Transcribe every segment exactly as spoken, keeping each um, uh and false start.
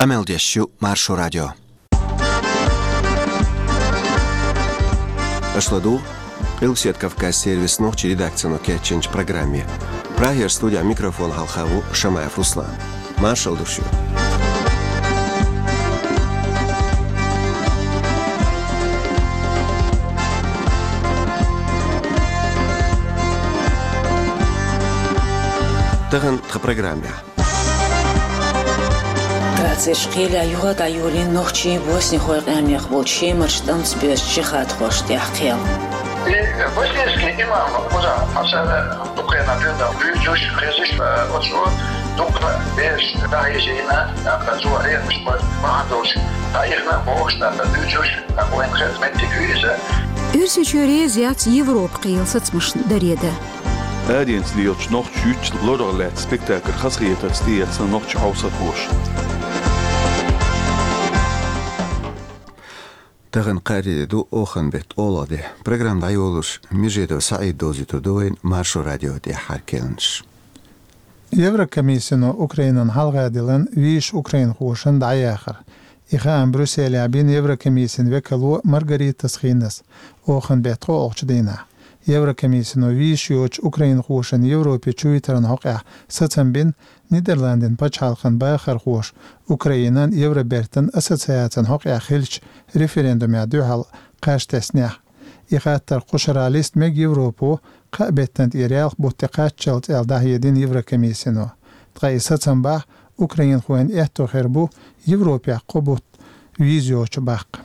Къамел деш ю Маршо радио. Аша ладугӀу Къилбседа Кавказан сервисан нохчийн редакцино кечйинчу программе. Прагера студехь микрофон хьалха ву Шамаев Руслан. Маршалла ду шуьга. Тахана тхан программехь. Трацерчу кхелехь юха а дӀайолийна нохчийн, боснихойн къаьмнех болчу шемарчу тӀамца боьзначу жихӀадхошна тӀехь кхел. И боснийский имам Уза Масала Украина дуьйна буьйцуш, хезаш, оцо дукха бераш дӀахьийзийна, тӀаккха цо хьехамаш бахьана долуш дӀаихна бохуш, тӀаккха дуьйцуш, тӀаккха вайна хезна меттиг ю иза. Оьрсийчоь реза яц Европа кхелан сацамашна даре дан. Аденца лелачу нохчийн юьтта лорах лаьцна спектакль хазахетарца тӀеэцна нохчийн хьовсархоша. Тахана кхаарин де ду, оханан беттан олалла де. Программа дӀайолош Межидов СаӀид довзуьйтур ду вайна Маршо радион тӀаьххьара керланаш. Еврокомиссино Украинан хьалха диллина везачу украинхошна дӀаяхар. И хаам Брюсселехь бина Еврокомиссин векало Маргарита Схинас оханан беттан кхоалгӀачу дийнахь. Еврокомиссино везаш йоцучу украинхошна Европе чувитаран хьокъехь сацам бина Нидерландийн пачхьалкхан бахархоша Украинан Евробертан ассоциацин хьокъехь хиллачу референдумехь дуьхьал кхаж теснехь. И хаттар кху шарахь листа мега Европо кхаа беттан тӀера ялх бутт тӀе кхаччалц аьлла дӀахьедина Еврокомиссино. Ткъа и сацам бахь, украинхойн аьтто хир бу Европехь кхо бутт виза йоцуш баккха.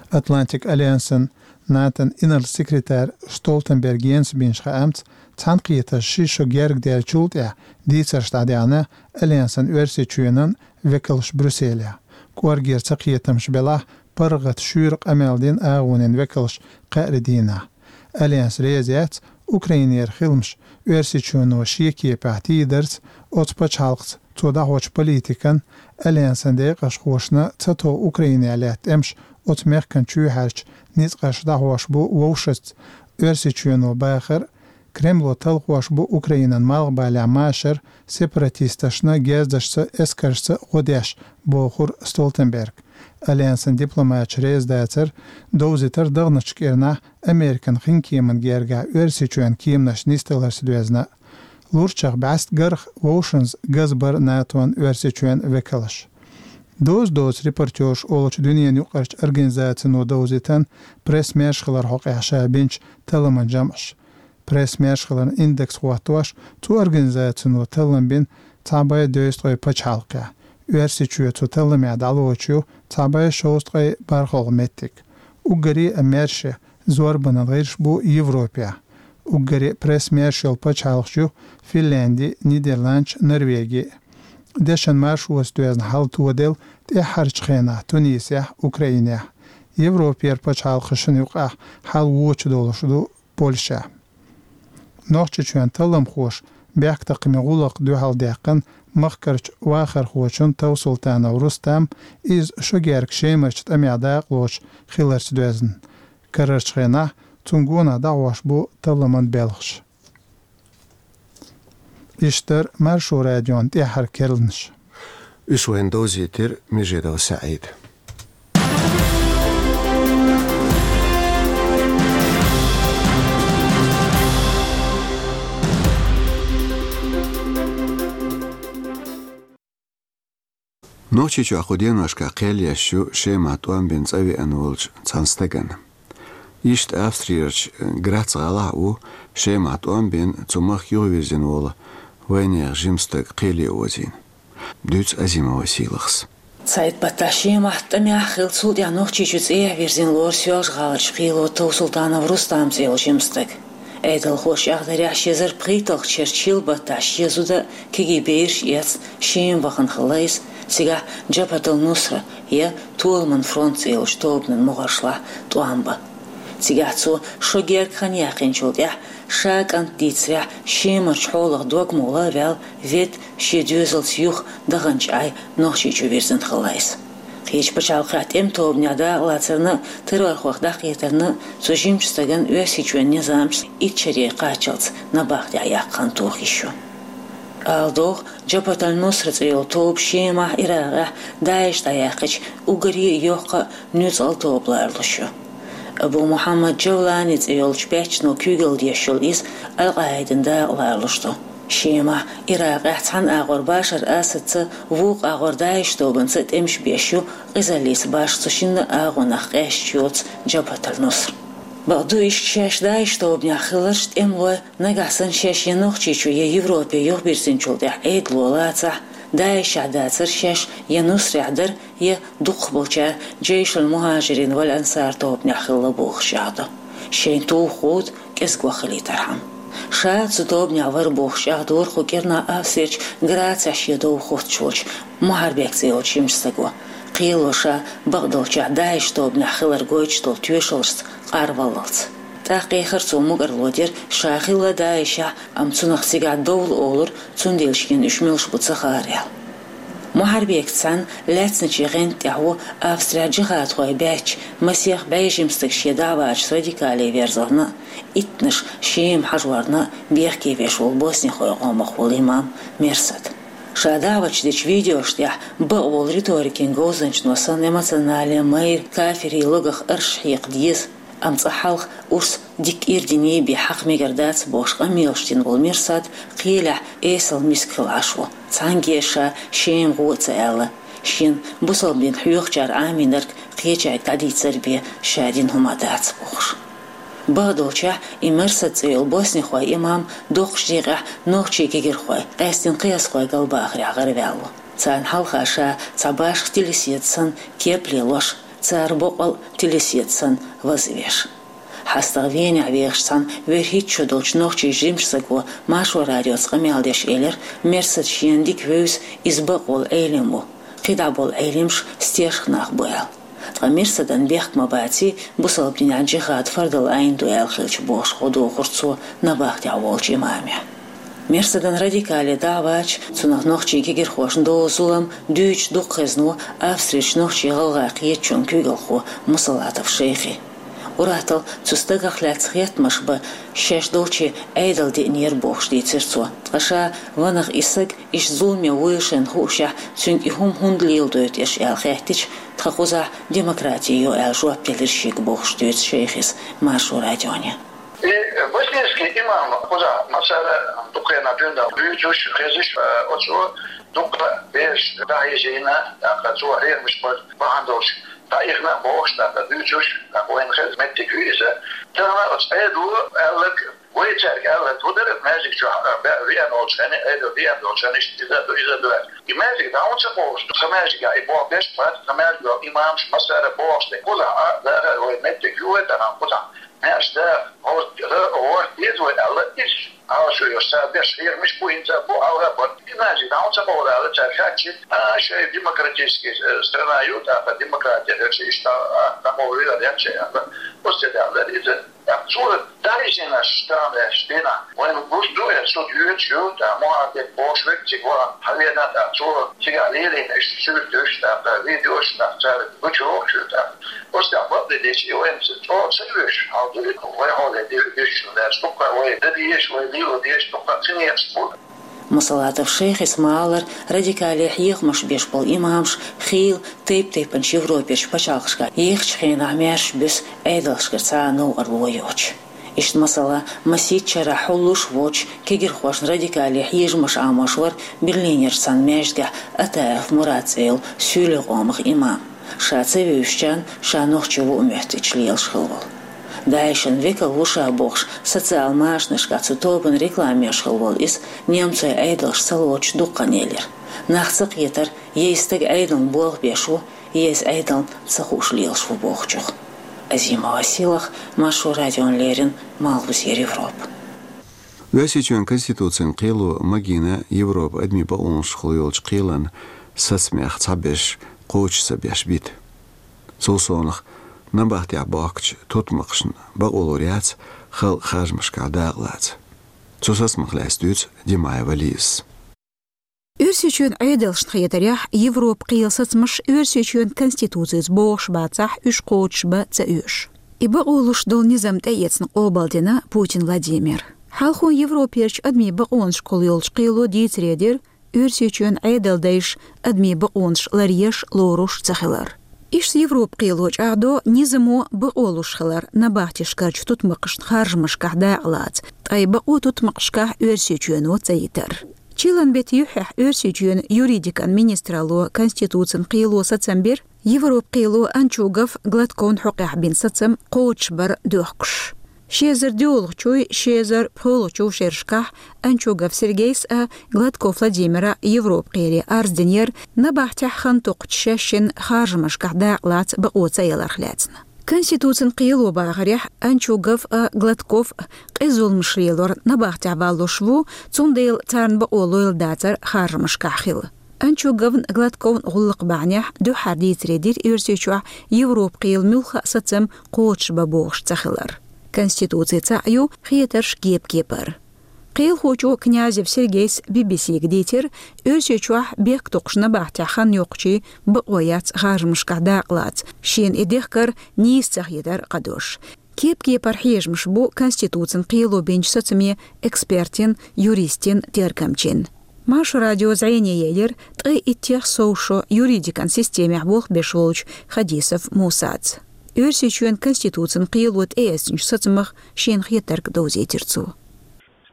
Атлантик альянсан НАТОн инарла секретарь Столтенберг Йенса бинчу хаамца, цхьаьнакхетарш ши шо герга даьллачул тӀаьхьа дийцарш дӀадаьхьна Альянсан Оьрсийчоьнан векалша Брюсселехь. КӀоргера цакхетамаш белахь, паргӀат шуьйра къамел дина агӀонийн векалш кхаарин дийнахь. Альянс реза яц Украинера хиламаш Оьрсийчоьно шен кепехь тийдарца, оцу пачхьалкхаца цо дӀахьочу политикан, Альянсан декъашхошна ца тов Украинехь лаьтта тӀемаш оцу мехкан чоьхьарчу ницкъаша дӀахьош бу вовшашца Оьрсийчоьно бахар, Кремло талхош бу Украинан малхбалехь машар сепаратисташна герзашца, эскаршца гӀо деш, бохура Столтенберга. Альянсан дипломаташ реза дацара довзийтар дахначу кӀирнахь Американ хинкеман гергахь Оьрсийчоьнан кеманаш нисдаларца доьзна. Лурчах бӀаьста гарх вовшанца газбара НАТОн Оьрсийчоьнан векалш. Доза-доза репортёрш олучу дуьненан юкъарчу организацино довзийтина пресс-маьршаллар хьокъехь ша бинчу талламан жамӀаш. Пресс-маьршаллан индекс хӀоттош, цу организацино таллам бина цхьа бӀе дезткъе пачхьалкхехь. Оьрсийчоь цу талламехь дӀалоцуш ю цхьа бӀе шовзткъе бархӀалгӀа меттиг. Уггаре а маьрша зорбанан гӀирсаш бу Европехь. Уггаре а пресс-маьрша йолу пачхьалкхаш ю Финлянди, Нидерландаш, Норвеги. Дешан маршоца доьзна хьал тоделла тӀаьххьарчу хенахь Тунисехь, Украинехь. Европера пачхьалкхашна юкъахь хьал вочу долуш ду Польша. Нохчийчоьнан талламхоша бехктакхаман гӀуллакх дуьхьал даьккхина махкарчу вахархочун Товсултанов Рустам, иза шо герга Шемарчу тӀамехь дакъалоцуш хиларца доьзна. Карарчу хенахь цунна гонах дӀахьош бу талламан белхаш. Иштта дара Маршо радион тӀаьххьара керланаш. Уьш вайна довзийтира Межидов СаӀида. Нохчийчохь кху деношкахь кхел еш ю Шемахь тӀом бина цӀа веана волчу цхьана стагана. Иштта Австриярчу Грац гӀалахь а ву Шемахь тӀом бина, цу махка юхавирзина волу вайнехан жима стаг кхеле озийна. Дуьйцу Азимова Сийлахьас. Цхьайтта баттахь Шемахь тӀамехь хилла, цул тӀаьхьа Нохчийчу цӀехьа вирзина лору Соьлжа-ГӀаларчу кхело Товсултанов Рустам цӀе йолу жима стаг. Ӏедалхоша чӀагӀдарехь, ши эзар пхийтталгӀачу шеран чиллан баттахь шен зуда, кегий бераш а эцна, Шема вахана хилла иза, цигахь Джабхат ал-Нусра я Толаман фронт цӀе йолчу тобанан могӀаршлахь тӀом бан. Цигахь цо шо герга хан яьккхинчул тӀаьхьа, ша кӀант дийцарехь, Шемарчу хьолах дог ма гӀолла а ваьлла, ведда, шен доьзалца юха даханчу Ӏай Нохчийчу вирзина хилла иза. Кхечу пачхьалкхехь тӀеман тобанехь дакъалацарна а, террорхойх дӀахкхетарна а цу жимачу стагана Оьрсийчоьнан низамаша итт шаре кхаччалц набахтехь яккха хан тоха йиш ю. Ала догӀу, Джабхат аль-Нусра цӀе йолу тоба Шемахь, Иракъехь ДАИШ дӀаяьккхича уггаре а йоккха а, нуьцкъала тоба лоруш ю. Абу Мухьаммад Джавлани цӀе йолчу баьччано куьйгалла деш йолу иза Аль-Къаидин дакъа лоруш ду. Шемахь, Иракъехь цхьана агӀор Башар Асадца, вукху агӀор ДАИШ тобанца тӀемаш беш ю къизаллица башха цу шинна а агӀонах къаьсташ йоцу Джабхат аль-Нусра. Бакъду, иштта шаьш ДАИШ тобанехь хилларш тӀемалой, нагахь санна шаьш я Нохчийчу, я Европе юхабирзинчул тӀаьхьа Ӏедало лацахь, ДАИШехь дацара шаьш, я Нусрехь дара, я дукхахболчара Джейшуль-Мухьажирин валь-Ансар тобанехь хилла бохуш чӀагӀдо. Шайн туха гӀуда кӀезиг ваха хилийтархьама. Ша цу тобанехь вара бохуш чӀагӀдора кху кӀирнахь Австрерчу Грацехь шен дов хӀуттуш волчу Мухьарбек цӀе йолчу жимачу стага. Кхело ша, бакъдолчехь, ДАИШ тобанехь хилар гойтуш долу тоьшаллашца къарваллалц. ТӀаккха эхар цо мукӀарло дира, ша хилла ДАИШехь, амма цунах цигахь довла олура, цундела шена уьш муьлш бу ца хаьара аьлла. Мухьарбекца цхьаьна лаьцначийн гӀанта тӀехь ву Австрехь джихадхой баьчча, масех бӀе жима стаг шен дӀа а вача радикале верзорна а, иттанаш Шема хьажорна а бехке веш волу боснихойн къомах волу имам Мерсад. Ша даӀваташ дечу видеошна тӀехь бакъволу риторикин говзанчано санна эмоционале майра кафирийн логах арш хьекха деза, амма цкъа хьалха урс дикка ирдиний бен хьакха мегар дац бохуш къамелаш дина волу Мерсад кхелехь эсала миска хилла Ӏаш ву, цхьаьнгге а ша Шема гӀо а ца аьлла, шена бусалба дин хьоьхучара Ӏамийнарг кхечаьрга дӀадийцар бен ша дина хӀума дац бохуш. Бакъдолчехь, и Мерсад цӀе йолу боснихойн имам доккхачу декъехь нохчийн кегирхой, къаьсттина кхиазхой галбахарехь гӀараваьлла ву. Царна хьалха ша цхьа башха телесетар санна кеп лелош, цара боккъал а телесетар санна вазвеш. ХьастагӀа Венехь вехаш цхьана вуьрхӀитта шо долчу нохчийн жимачу стага Маршо радиоца къамел деш элира, Мерсад шена дика вевза, иза бакъволу Ӏелим ву, кхидӀа болу Ӏелимаш стешах нах бу аьлла. Ткъа Мерсадан бехк ма баций, бусалба динехь джихад фардал Ӏайн ду аьлла хилча бохуш гӀо дохура цо набахтехь волчу имаме. Мерсадан радикале дӀа а вача, цунах нохчийн кегирхошна долу зулам дуьйцуш дукха хезна ву Австрерчу нохчийн-гӀалгӀайн кхетачун куьйгалхо Мусалатов Шайхи. Ур-атталла цу стагах лаьцна хеттамаш бан шаьш долчу Ӏедал деънера бохуш дийцира цо, ткъа ша ванах и стаг иштта зуламе вуйла шайна хуушехь, цуьнга и хӀума хӀунда леладойту аша аьлла хаьттича, тхан кхузахь демократи йо аьлла жоп делира шега бохуш дуьйцу Шайхис Маршо радионе. И боснийский имам кхузахь массара дукха хенахь дуьйна дуьйцуш, хезаш, оцо дукха бераш дӀахьежийна, тӀаккха цо хьехамаш бан бахьана долуш дӀаихна а бохуш, тӀаккха дуьйцуш, тӀаккха вайна хеза меттиг ю иза. Тахана оцу Ӏедало аьлларг, вай цаьрга аьлларг хӀун дара, маьждиг чохь, а, бе-, веана волчу хенахь, Ӏедал веана долчу хенахь, иштта иза ду, иза ду аьлла. И маьждиг дӀа хӀунда ца кховдуш ду? Тхан маьждигехь и болх беш бац, тхан маьждиган имамаш массара бохуш ду. Кхузахь а, даха а вай меттиг ю вай тахана кхузахь. Маьрша да, хӀорд-, хӀорд деза вай аьлла, иза Ӏалашо йолуш цара беш хьехамаш бу, хӀинца а бу, хьалха а бара. И маьждиг дӀа хӀунда ца кховду аьлла, цаьрга хаьттича, а, шайн демократический, э, страна ю, тӀаккха демократи хилча, иштта, а, дӀакховдийла аьлла шайн аьлла. Оцу тӀе даьлла иза. ТӀаккха цо дӀахьежийнарш, тахана аьлча дийнахь, вайна гуш ду, э, цу дуьйцуш ю, тӀаккха Мухьарбек бохуш верг цига вахана хьавеана, тӀаккха цо цигахь лелийна иштта суьрташ, тӀаккха видеош, тӀаккха цара гучуйохуш ю, тӀаккха. Оцу тӀехь бакъдерг дийцича, и вайна цӀа чӀогӀа ца оьшу, хьал ду и, вай хьоле де-, дешна лаьцна, дуккха вай дан дезаш, вай лело дезаш, дуккха ца некъаш бу. Мусалатов Шайхис ма-аллара, радикале хьехамаш беш болу имамаш хийла тайп-тайпанчу Европерчу пачхьалкхашкахь ехачу хенахь маьрша буьсу Ӏедалшкара цхьа а новкъарло йоцуш. Иштта, масала, масийтта шарахь хьуллуш а воцуш, кегирхошна радикале хьежамаш Ӏамош вара Берлинерчу цхьана маьждигехь Атаев Мурад цӀе йолу суьйлийн къомах имам. Ша ца вевзачарна ша нохчи ву а моьттича лелаш хилла волу. ДАИШан векал ву ша бохуш, социал машанашкахь цу тобанан реклама еш хилла волу иза немцойн Ӏедалша ца лоцуш дукха хан елира. Нах ца кхетара, я и стаг Ӏедална болх беш ву, я иза Ӏедална ца хууш лелаш ву бохучух. Азимова Силах, Маршо радиона леррина, Малхбузера Европа. Оьрсийчоьнан Конституцин кхело магийна Европан адамийн бакъонашкахула йолчу кхелан сацамех цхьаберш кхочуш ца беш бита. Цул совнаха, набахтехь бохкучу тутмакхашна бакъо лур яц халкъан харжамашкахь дакъа лаца. Цу сацамах лаьцна дуьйцу Димаева Лизас. Оьрсийчоьнан Ӏедалшна хетарехь, Европан кхелан сацамаш Оьрсийчоьнан Конституцица богӀуш бацахь, уьш кхочуш бан ца оьшу. И бакъо луш долу низам тӀеэцна къобалдина Путин Владимира. Хьалхо Европерчу адамийн бакъонашкахула йолчу кхело дийцаре дира, Оьрсийчоьнан Ӏедалдайша адамийн бакъонаш ларъеш, лоруш ца хилар. Иштта Европан кхело чӀагӀдо низамо бакъо луш хилар набахтешкарчу тутмакхашна харжамашкахь дакъалаца, ткъа и бакъо тутмакхашкахь Оьрсийчоьно ца йитар. Чиллан беттан юьххьехь Оьрсийчоьнан юридикан министралло Конституцин кхело сацам бира, Европан кхело Анчугов, Гладковн хьокъехь бина сацам кхочушбар доьхкуш. Ши эзар доьалгӀачуй, ши эзар пхоьалгӀачу шерашкахь Анчугов Сергейс а, Гладков Владимира Европан кхеле арз динера, набахтехь хан токхучу шаьшшинна харжамашкахь дакъалаца бакъо ца яларх лаьцна. Конституцин кхело бахарехь, Анчугов а, Гладков а къиза зуламаш лелор набахтехь валлуш ву, цундела царна бакъо лойла дацара харжамашкахь хила. Анчуговн, Гладковн гӀуллакх бахьанехь дуьххьара дийцаре дира Оьрсийчохь Европан кхело муьлхха а сацам кхочушбан бохуш ца хилар. Конституци цхьаъ ю, хетарш кеп-кепара. Кхелахочо Князев Сергейс Би-Би-Сига дийцира, Оьрсийчохь бехктокхуш набахтехь хан йоккхучийн бакъо яц харжамашкахь дакъалаца, шена и дехкар нийса ца хетар кхадош. Кеп-кепара хьежамаш бу Конституцин кхело бинчу сацаме экспертийн, юристийн, тергамчин. Маршо радио зӀене елира ткъе иттех сов шо юридикан системехь болх беш волчу Хадисов Мусаца. Оьрсийчоьнан Конституцин кхело тӀеэцначу сацамах шена хетарг довзийтира цо.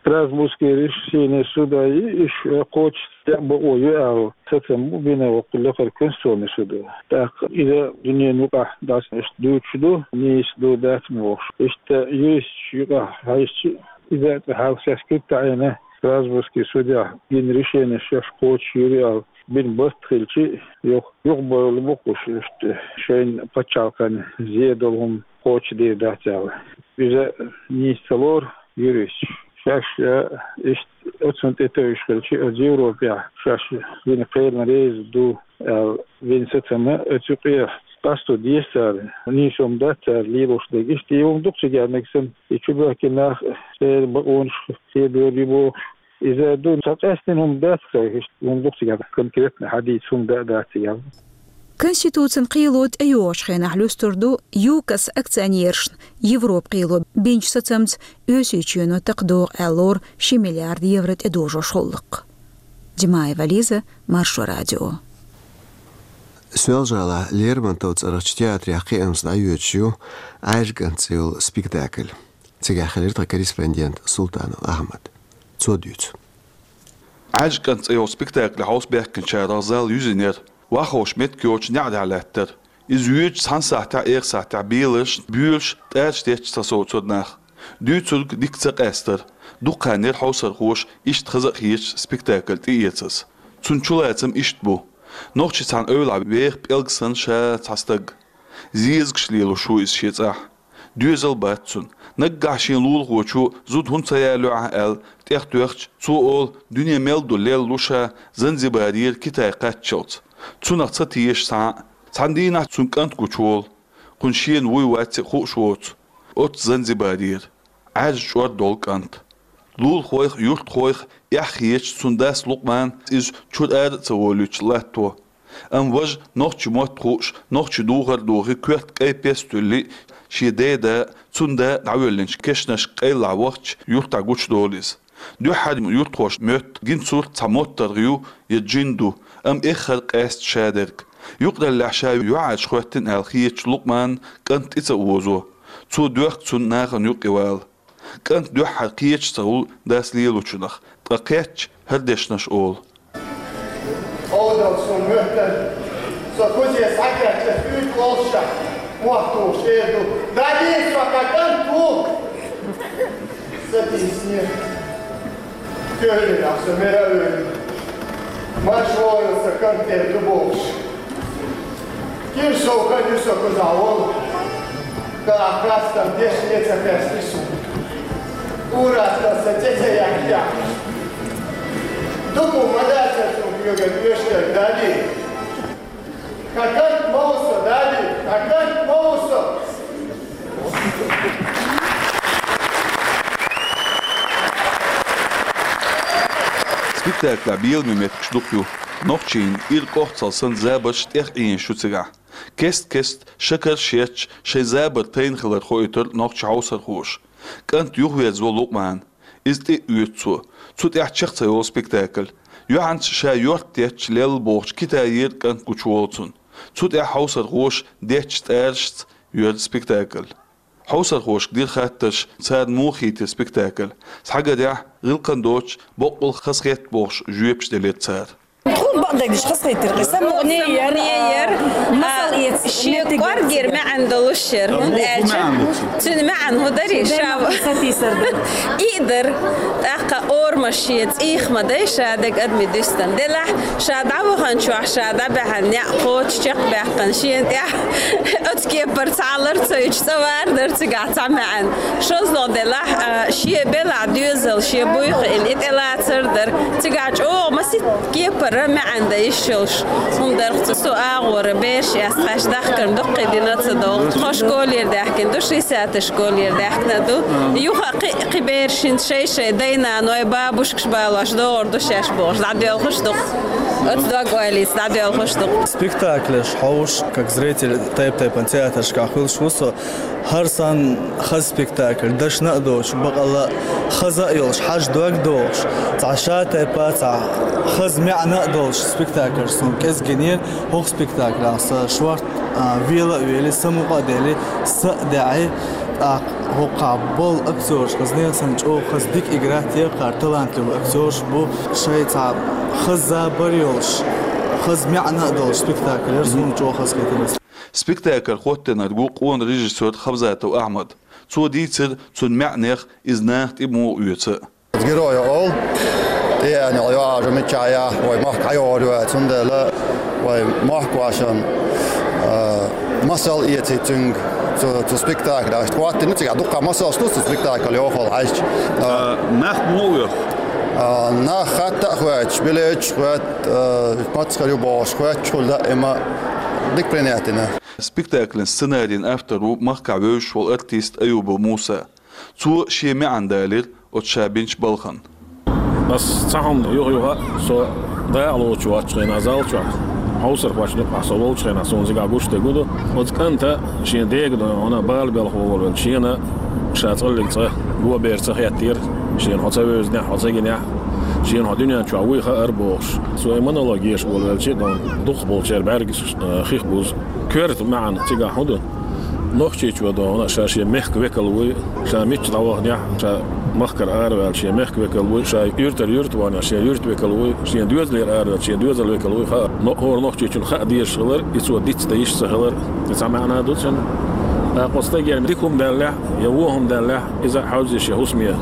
Страсбургский решение суда и иш кхочуш декъа бакъо ю аьлла сацам бу бина воккхул лакхара Конституционный судо. ТӀаккха иза дуьненан юкъахь дӀасана иштта дуьйцуш ду, нийса ду, дац ма бохуш. Иштта юристаш юкъахь хьаьжча, иза а цкъа хьалха шаьш куьг таӀийна, Страсбургский судехь гина решение шаьш кхочуш йур ю аьлла бина барт хилча, юха, юхабевлла бу кхуш, иштта шайна пачхьалкхана зе долу хӀума кхочушдийр дац аьлла. Иза нийса ца лору юристаш. Шаьш, а, иштта оцунна тӀетевжаш хилча, оцу Европехь шаьш вина кхелан реза ду аьлла, вина сацам а оцу юкъе къасто деза цара, нийса хӀума дац цара лелош дерг. Иштта и хӀума дукха цига мега санна, и чубоьхкина нах церан бакъонаш кхебевр ю бохуш. Иза ду, цхьа къаьстина хӀума дац, ца хӀума дукха цига конкретно хьадийца хӀума да а дац цига. Конституцин кхело тӀейогӀучу хенахь луьстур ду ЮКОС акционерашна Европан кхело бинчу сацамца Оьрсийчоьно такха догӀу аьлла лору ши миллиард евро тӀедожош гӀуллакх. Димаева Лиза, Маршо радио. Соьлжа-ГӀалахь Лермонтов цӀарахчу театрехь кхиамца дӀайоьдуш ю «Ӏаьржа кӀант» цӀе йолу спектакль. Цигахь хилира тхан корреспондент Султанов Ахьмад. Цо дуьйцу. «Ӏаьржа кӀант» цӀе йолу спектакль хьовсабаьхкинчарах зал юьзийнера, вахховш меттиг йоцуш неӀ дӀа лаьттара. Иза йоьдучу цхьана сахьтехь, эха сахьтехь беларшна, боьлуш, тӀараш детташ сацовцура нах. Дуьйцург дика ца къаьстара. Дукха хан яра хьовсархоша иштта хаза а хеташ спектакль тӀеэцаза. Цуьнан чулацам иштта бу. Нохчийн цхьана эвлахь веха пӀелг санна ша цхьа стаг. Зезагаш лелош ву иза шен цӀахь. Доьзал бац цуьнан. Наггахь шен лулахочо зуда хӀунда ца ялайо ахь аьлла, тӀехтоьхча, цо олу, дуьне мел ду лелла лу ша Занзибарера Китай кхаччалц. Цунах ца теша цхьа а. Цхьана дийнахь цуьнан кӀант гучуволу. Кхунна шена вуй вац а хууш воцу оццу Занзибарера. Ӏаьржа чӀор долу кӀант. Лулахойх а, юьртахойх а эхь хеташ цуьнан дас Лукъман иза чуьра ара а ца волуьйтуш латто. Амма важа нохчийн мотт хууш, нохчийн духар а духий, коьрта кӀай пес туьллий, шен деда а, цуьнан да а дӀавоьллинчу кешнашка къайлахь вахча, юьртахь гучудолу иза. Дуьххьара юьртахоша моьтту гина сурт цхьа моттаргӀа ю я джин ду, амма эххар къаьста шадерг. Юкъараллехь ша юьхьӀаьржа хӀоьттина аьлла хеташ Лукъманна кӀант тӀе ца озо. Цо доьхку цунна нахана юкъе вала. КӀант дуьххьара кхеташ ца хуьлу дас лелочунах, ткъа кхетча, хӀара дешнаш олу. Ӏовдал, суна моьттара, со кузе схьакхаьчча, уьйтӀа олуш, мохь тухуш эр ду: «Дадийса, со хьан кӀант ву!» Сатийсинера. Коьртаниг со мера а вевлла, марша вогӀийла, сан кӀант эр ду бохуш. Кира сов хан ю со кхузахь волу, тӀаккха хастам дешне ца кхаьчни суна. Ураста сан цӀе ца яхьа яхь. Дукха ма дац аса цунна куьйган оьшург, Дали. Хьан кӀант ма ву со, Дали, хьан кӀант ма ву со. Спектаклехь беламе меттигаш дукха ю. Нохчийн ира кӀохцал санна забарш тӀех Ӏийна шу цигахь. Кест-кеста шакарш етташ шайн забар тайна хилар хоуьйтура нохчийн хьовсархоша. КӀант юхаверзаво Лукъмана. Иза тӀе а оьцу цо. Цу тӀехь чекх ца йолу спектакль. Юьхьанца ша йорт детташ лелла бохучу Китайера кӀант гучуволу цунна. Цу тӀехь хьовсархоша детташ тӀарашца йора спектакль. Хьовсархошка дира хаттарш, царна муха хийтира спектакль. Схьагарехь, гӀиллакхан доцуш, боккъал хазахетта бохуш жоьпаш делира цара. Тхуна бакъдерг диш хазахийтира, кхин самукъане яра, яра, масал а, эца, шен меттиг кӀоргера маьӀна долуш яра, хӀунда аьлча цуьнан маьӀна хӀун дарий, ша сатийсар дара. И а дара, тӀаккха орамаш шен цӀийх ма дай, ша дерг адамийн дуьстина. Делахь, ша дӀаваханчохь, ша дӀабаьхьна неӀ кхочуш чекхбаьккхина, шена тӀехь оцу кепара цхьа лар ца йича, цӀа вар дара цигахь цхьа маьӀна. ШозлагӀа делахь, а, шен белахь доьзал, шен буй хиъна, и тӀелацар дара. Цигахь чӀогӀа масийтта кепара маьӀна дан йиш йолуш хӀума дара. Цу со агӀора бераш эцна хьаьжча дахкарна дуккхий дина ца догӀу. Тхо школера даьхкина ду, шестидесятый школера даьхкина ду. Юха а кхин, кхин бераш хӀинца шай-шай дай-наной, бабушкаш балош догӀур ду шаьш бохуш, дӀадоьлхуш ду-кх. Оцу дог-ойлица дӀадоьлхуш ду-кх. Спектаклеш хьовсуш, как зритель, тайп-тайпана театрашкахь хуьлуш ву со. ХӀара санна хаза спектакль, дашна а доцуш, бакъалла а хаза а йолуш, хьажа дог а дохуш, цхьа шатайпа, цхьа хаза маьӀна а долуш спектакль суна кӀезиг гинера. ХӀокху спектаклехь сан шорта, а, вела а вели, самукъа а дели, са а даьӀи, тӀаккха хӀокхахь болу актёраш хаза нехан санна чӀогӀа хаза дика игра а текхара, талантливый актёраш бу, шайн цхьа хаза забар а йолуш, хаза маьӀна а долуш спектакль яра, суна чӀогӀа хазахийтира. Спектакль хӀоттийнарг ву къона режиссёр Хабзатов Ахьмад. Цо дийцира цуьнан маьӀнех, иза наха тӀе муха оьцу. Герой олу, тӀеэцна йоӀ, жа миччахь яхь, вай махка хьайогӀур ю аьлла, цундела вай махка вашан, а, масал эций цуьнга цу, цу спектакль. Аша хӀоттийна цигахь дуккха масалш ду цу спектакль йохалла хьаьжча. А, нах муха оьху? А, нах хатта а хоьттуш, билеташ а хоьтту, а, мацахь ю бохуш хоьттуш хуьлу даима, дика принять дина. Спектакльан сценарин автор ву махкахь вевзаш волу артист Аюбов Муса. Цо шен маьӀна далийра оцу ша бинчу балхана. Ас цхьа хӀума юха-юха а со дакъа лоцуш воцчу хенахь зал чохь, хьовсархошна юкъахь со волчу хенахь суна цигахь гуш дерг ду. Оцу кӀанта шен дега дойгӀана бала белхо волавелча, шена ша цкъаллиг цкъа го бер ца хеттера, шена хьо ца вевзинехь, хьо ца гинехь, шена хьо дуьнен чохь вуй хаар бохуш. Цо и монолог еш волавелча, дукхахболчеран бӀаьргаш, э, хих бузу. Коьрта маьӀна цигахь хӀун ду? Нохчийчо дохуна, ша шен мехкан векал вуй, ша мичча дӀаваханехь, ша махкара араваьлла шен мехкан векал вуй, ша юьртара юьрта ваханехь, шен юьртан векал вуй, шен доьзалера араваьлла шен доьзалан векал вуй хаа. Но хӀора нохчийчунна хаа дезаш хилар, и цо дицдан йиш ца хилар, и цхьа маьӀна ду цуьнан. ТӀаккха оцу стагера дика хӀума даьллехь, я вон хӀума даьллехь, иза хьовзийша хӀусаме,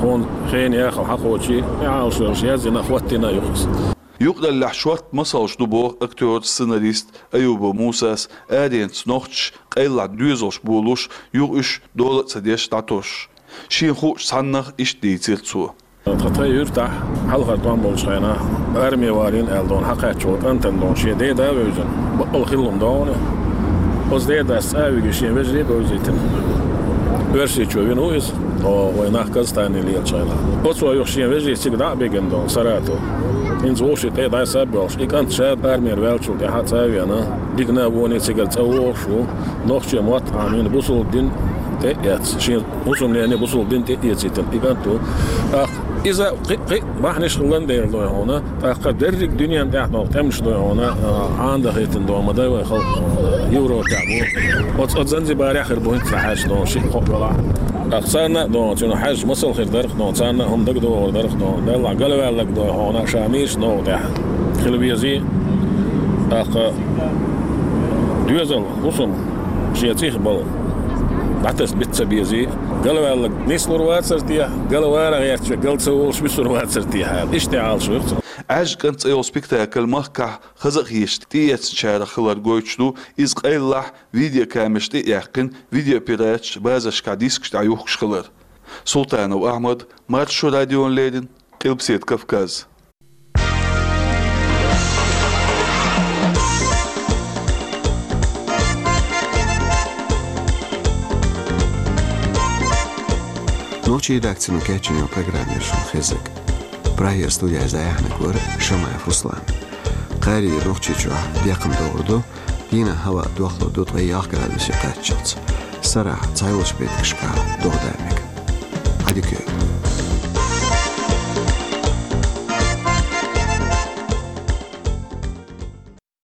хьуна хенан яхалла хьакхочий, и Ӏалашвеллачу яздина, хӀоттийна а ю-кх иза. Юкъараллехь шортта масалш ду боху актёр, сценарист Аюбов Мусас, аренца нохчаша къайлахь доьзалш болуш, юха уьш дола а ца деш дӀатосуш. Шена хуучу цхьаннах иштта дийцира цо. Тхан тхайн юьртахь хьалхара тӀом болчу хенахь, арме валийна аьлла дохуна хьакхаьчча волу кӀантана дохуна шен деда а вевзина, бакъалла хилла хӀума дохуна. Оцу дедас цӀа а вигина шен вежарий а бевзийтина. Оьрсийчо вина ву иза. О, вай нах Казахстане лелачу хенахь. Оцо юха шен вежарий цига дӀа а бигина долу Саратов. ХӀинца вовшийн тӀе дӀасаб йолуш, и кӀант ша армера ваьллачул тӀаьхьа цӀа а веана, дикана а воне цигара цӀа вогӀуш ву, нохчийн мотт Ӏамийна бусалба дин тӀе а эцна, шен хӀусамнене бусалба дин тӀе а эцийтина и кӀант ву. ТӀаккха иза кхин, кхин бахьанаш хилла дела дой хьуна, тӀаккха дерриг дуьненан тӀехь долу тӀемаш дой хьуна, а, Ӏанадахийтина доху ма дай вай халкъ, Европехь бу. Оцу, оцу Занзибарехь хир бу хӀинца хьаьжча доху шиъ-кхоъ велахь. ТӀаккха царна а доху, цуьнан хьаьжча масал хир дара-кх доху, царна а хӀума дагадогӀур дара-кх доху. Делахь галваьлларг дой хьуна, ша нийса новкъа тӀехь хила везий. ТӀаккха доьзал, хӀусам шен цӀийх балла дӀатаса бита ца безий. Галваьлларг нислур вацара те, галвала гӀертача гал ца волуш висур вацара те хьала. Иштта Ӏалашвира цо. «Ӏаьржа кӀант» цӀе йолу спектакль махкахь хаза а хеташ тӀеэцначарах хилар гойтуш ду, иза къайлахь видеокамераш тӀе а яьккхина, видеопираташ базаршкахь дискаш тӀехь юхкуш хилар. Султанов Ахьмад, Маршо радиона леррина, Къилбаседа Кавказ. Нохчийн редакцино кечйина йолу программа яра шуна хезнарг. Прагера студехь иза дӀаяьхьнарг вара Шамаев Руслан. Кхаарийра Нохчийчохь бекхам догӀур ду, дийнахь хӀаваъ дохлур ду ткъе ялх градусе кхаччалц. Сарахь цхьайолчу меттигашкахь догӀа дан мега. Ӏадика йойла.